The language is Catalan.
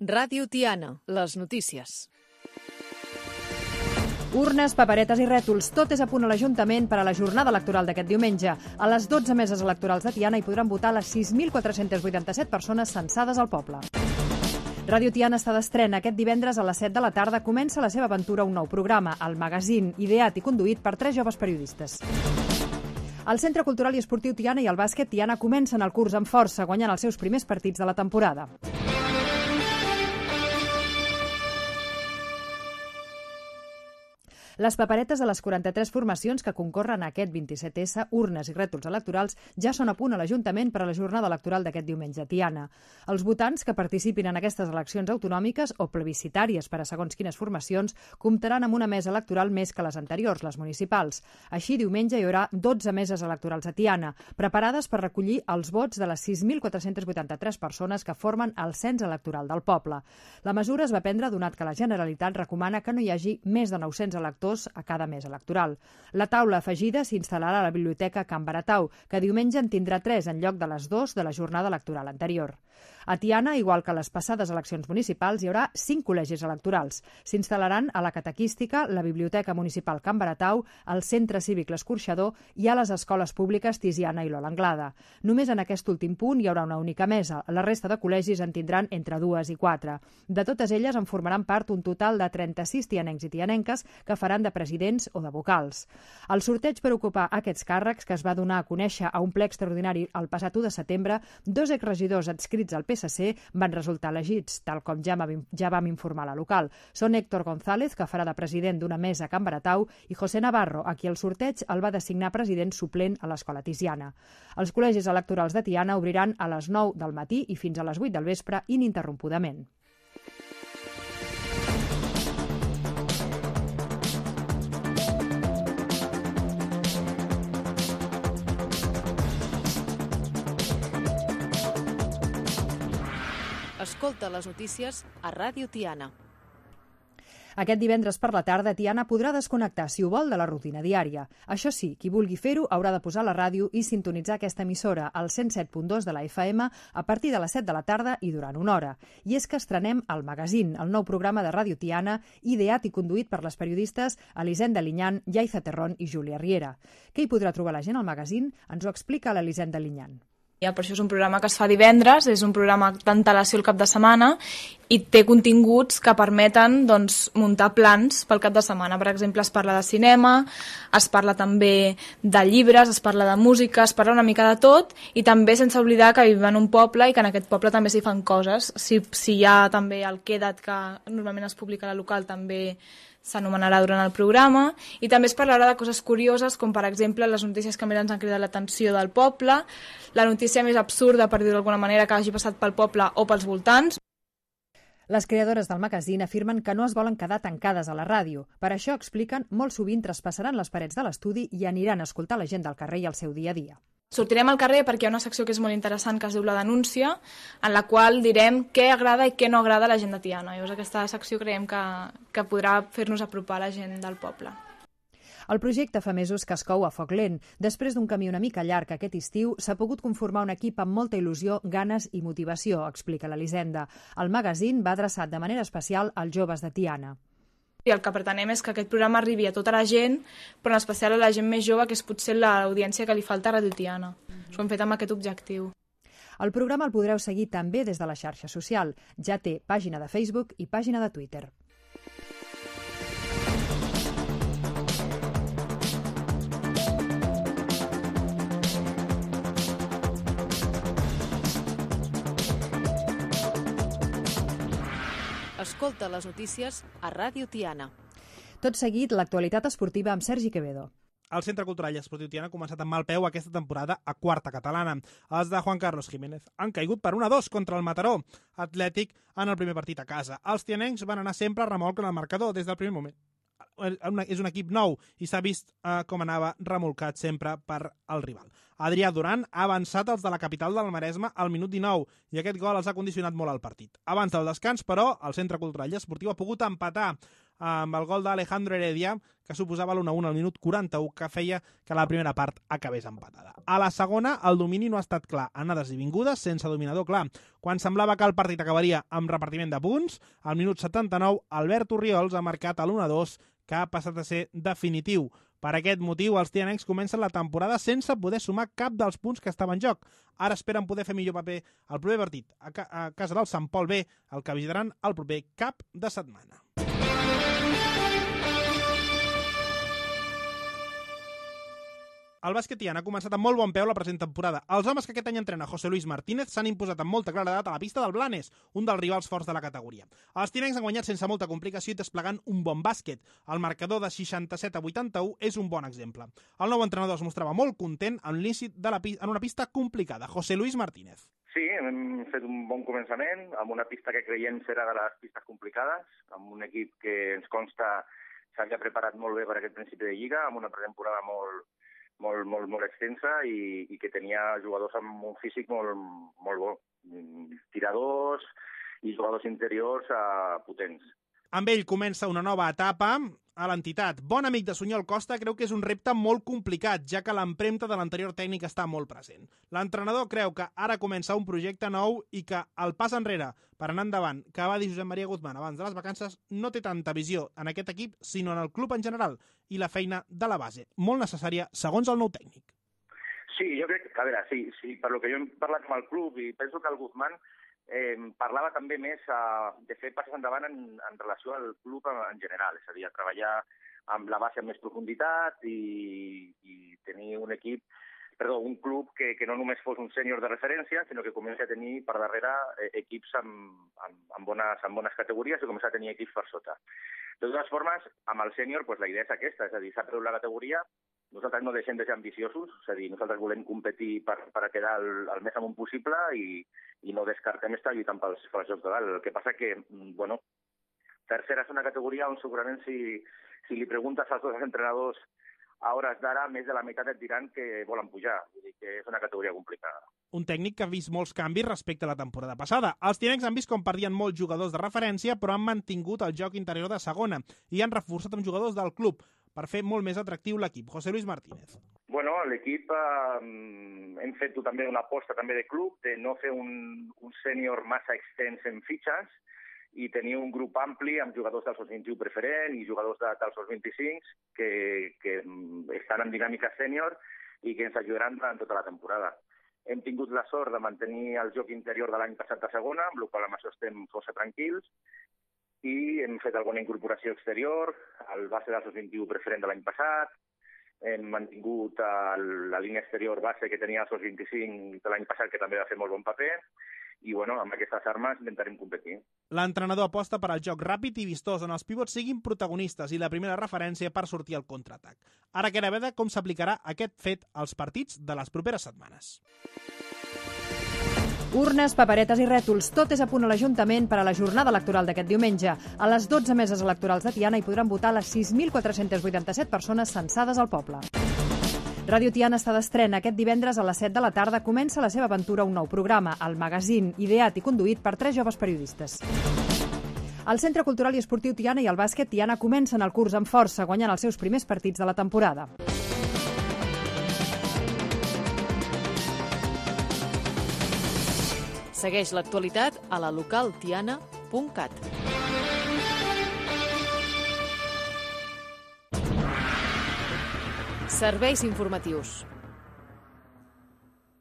Ràdio Tiana, les notícies. Urnes, paperetes i rètols, tot és a punt a l'Ajuntament per a la jornada electoral d'aquest diumenge. A les 12 meses electorals de Tiana hi podran votar les 6.487 persones censades al poble. Ràdio Tiana està d'estrena. Aquest divendres a les 7 de la tarda comença la seva aventura un nou programa, el Magazín, ideat i conduït per 3 joves periodistes. El Centre Cultural i Esportiu Tiana i el bàsquet Tiana comencen el curs amb força, guanyant els seus primers partits de la temporada. Les paperetes de les 43 formacions que concorren a aquest 27S, urnes i rètols electorals, ja són a punt a l'Ajuntament per a la jornada electoral d'aquest diumenge a Tiana. Els votants que participin en aquestes eleccions autonòmiques o plebiscitàries per a segons quines formacions comptaran amb una mesa electoral més que les anteriors, les municipals. Així, diumenge hi haurà 12 meses electorals a Tiana, preparades per recollir els vots de les 6.483 persones que formen el cens electoral del poble. La mesura es va prendre donat que la Generalitat recomana que no hi hagi més de 900 electors a cada mes electoral. La taula afegida s'instal·larà a la Biblioteca Can Baratau, que diumenge en tindrà 3 en lloc de les 2 de la jornada electoral anterior. A Tiana, igual que a les passades eleccions municipals, hi haurà 5 col·legis electorals. S'instal·laran a la Catequística, la Biblioteca Municipal Can Baratau, al Centre Cívic L'Escorxador i a les escoles públiques Tiziana i Lola Anglada. Només en aquest últim punt hi haurà una única mesa. La resta de col·legis en tindran entre 2 i 4. De totes elles en formaran part un total de 36 tianencs i tianenques que faran de presidents o de vocals. El sorteig per ocupar aquests càrrecs, que es va donar a conèixer a un ple extraordinari el passat 1 de setembre, 2 exregidors adscrits al PSC van resultar elegits, tal com ja vam informar a la local. Són Héctor González, que farà de president d'una mesa a Can Baratau, i José Navarro, a qui el sorteig el va designar president suplent a l'Escola Tiziana. Els col·legis electorals de Tiana obriran a les 9 del matí i fins a les 8 del vespre ininterrompudament. Escolta les notícies a Ràdio Tiana. Aquest divendres per la tarda, Tiana podrà desconnectar, si ho vol, de la rutina diària. Això sí, qui vulgui fer-ho haurà de posar la ràdio i sintonitzar aquesta emissora, al 107.2 de la FM, a partir de les 7 de la tarda i durant una hora. I és que estrenem el Magazín, el nou programa de Ràdio Tiana, ideat i conduït per les periodistes Elisenda Linyan, Yaiza Terrón i Júlia Riera. Què hi podrà trobar la gent al Magazín? Ens ho explica l'Elisenda Linyan. Ja, per això és un programa que es fa divendres, és un programa d'antelació el cap de setmana i té continguts que permeten muntar plans pel cap de setmana. Per exemple, es parla de cinema, es parla també de llibres, es parla de música, es parla una mica de tot i també sense oblidar que vivim en un poble i que en aquest poble també s'hi fan coses. Si hi ha també el Queda't, que normalment es publica a la local, també s'anomenarà durant el programa, i també es parlarà de coses curioses, com per exemple les notícies que més ens han cridat l'atenció del poble, la notícia més absurda, per dir-ho d'alguna manera, que hagi passat pel poble o pels voltants. Les creadores del Magazín afirmen que no es volen quedar tancades a la ràdio. Per això, expliquen, molt sovint traspassaran les parets de l'estudi i aniran a escoltar la gent del carrer i el seu dia a dia. Sortirem al carrer perquè hi ha una secció que és molt interessant que es diu La Denúncia, en la qual direm què agrada i què no agrada a la gent de Tiana. Llavors aquesta secció creiem que podrà fer-nos apropar a la gent del poble. El projecte fa mesos que es cou a foc lent. Després d'un camí una mica llarg aquest estiu, s'ha pogut conformar un equip amb molta il·lusió, ganes i motivació, explica l'Elisenda. El Magazín va adreçat de manera especial als joves de Tiana. I el que pretenem és que aquest programa arribi a tota la gent, però en especial a la gent més jove, que és potser l'audiència que li falta a Ràdio Tiana. Ho hem fet amb aquest objectiu. El programa el podreu seguir també des de la xarxa social. Ja té pàgina de Facebook i pàgina de Twitter. Escolta les notícies a Ràdio Tiana. Tot seguit, l'actualitat esportiva amb Sergi Quevedo. El Centre Cultural i Esportiu Tiana ha començat amb mal peu aquesta temporada a quarta catalana. Els de Juan Carlos Jiménez han caigut per 1-2 contra el Mataró Atlètic en el primer partit a casa. Els tianencs van anar sempre a remolc en el marcador des del primer moment. És un equip nou i s'ha vist com anava remolcat sempre per al rival. Adrià Duran ha avançat els de la capital del Maresme al minut 19 i aquest gol els ha condicionat molt al partit. Abans del descans, però, el Centre Cultural i Esportiu ha pogut empatar amb el gol d'Alejandro Heredia, que suposava l'1-1 al minut 41, que feia que la primera part acabés empatada. A la segona, el domini no ha estat clar, anades i vingudes, sense dominador clar. Quan semblava que el partit acabaria amb repartiment de punts, al minut 79, Albert Orriols ha marcat l'1-2, que ha passat a ser definitiu. Per aquest motiu, els tianencs comencen la temporada sense poder sumar cap dels punts que estaven en joc. Ara esperen poder fer millor paper al proper partit a casa del Sant Pol B, el que visitaran el proper cap de setmana. El bàsquet Tiana ha començat amb molt bon peu la present temporada. Els homes que aquest any entrena José Luis Martínez s'han imposat amb molta claredat a la pista del Blanes, un dels rivals forts de la categoria. Els tianencs han guanyat sense molta complicació i desplegant un bon bàsquet. El marcador de 67-81 és un bon exemple. El nou entrenador es mostrava molt content amb l'inici en una pista complicada. José Luis Martínez. Sí, hem fet un bon començament, amb una pista que creiem serà de les pistes complicades, amb un equip que ens consta s'havia preparat molt bé per aquest principi de lliga, amb una pretemporada molt extensa i que tenia jugadors amb un físic molt bo. Tiradors i jugadors interiors potents. Amb ell comença una nova etapa a l'entitat. Bon amic de Sunyol Costa creu que és un repte molt complicat, ja que l'empremta de l'anterior tècnic està molt present. L'entrenador creu que ara comença un projecte nou i que el pas enrere per anar endavant, que va dir Josep Maria Guzmán abans de les vacances, no té tanta visió en aquest equip, sinó en el club en general i la feina de la base, molt necessària segons el nou tècnic. Sí, jo crec que, a veure, sí, per lo que jo he parlat amb el club i penso que el Guzmán parlava també més de fer passes endavant en relació al club en general, és a dir, a treballar amb la base amb més profunditat i tenir un club que no només fos un sènior de referència, sinó que comenci a tenir per darrere equips amb bones categories i començar a tenir equips per sota. De totes formes, amb el sènior la idea és aquesta, és a dir, s'ha perdut la categoria. Nosaltres no deixem de ser ambiciosos, és a dir, nosaltres volem competir per quedar el més amunt possible i no descartem estar lluitant pels jocs de dalt. El que passa que, tercera és una categoria on segurament si li preguntes als dos entrenadors a hores d'ara, més de la meitat et diran que volen pujar, vull dir que és una categoria complicada. Un tècnic que ha vist molts canvis respecte a la temporada passada. Els tianencs han vist com perdien molts jugadors de referència, però han mantingut el joc interior de segona i han reforçat amb jugadors del club per fer molt més atractiu l'equip. José Luis Martínez. Bueno, l'equip hem fet també una aposta també de club, de no fer un sènior massa extens en fitxes i tenir un grup ampli amb jugadors del SOS-21 preferent i jugadors del SOS-25 que estan en dinàmica sènior i que ens ajudaran durant tota la temporada. Hem tingut la sort de mantenir el joc interior de l'any passat a segona, amb la qual amb això estem força tranquils, i hem fet alguna incorporació exterior, el base del SOS-21 preferent de l'any passat, hem mantingut la línia exterior base que tenia el SOS-25 de l'any passat, que també va fer molt bon paper, i amb aquestes armes intentarem competir. L'entrenador aposta per al joc ràpid i vistós, on els pivots siguin protagonistes i la primera referència per sortir al contraatac. Ara queda veure com s'aplicarà aquest fet als partits de les properes setmanes. Urnes, paperetes i rètols, tot és a punt a l'Ajuntament per a la jornada electoral d'aquest diumenge. A les 12 meses electorals de Tiana hi podran votar les 6.487 persones censades al poble. Ràdio Tiana està d'estrena. Aquest divendres a les 7 de la tarda comença la seva aventura un nou programa, el magazín, ideat i conduït per 3 joves periodistes. El Centre Cultural i Esportiu Tiana i el bàsquet Tiana comencen el curs amb força, guanyant els seus primers partits de la temporada. Segueix l'actualitat a la localtiana.cat. Serveis informatius.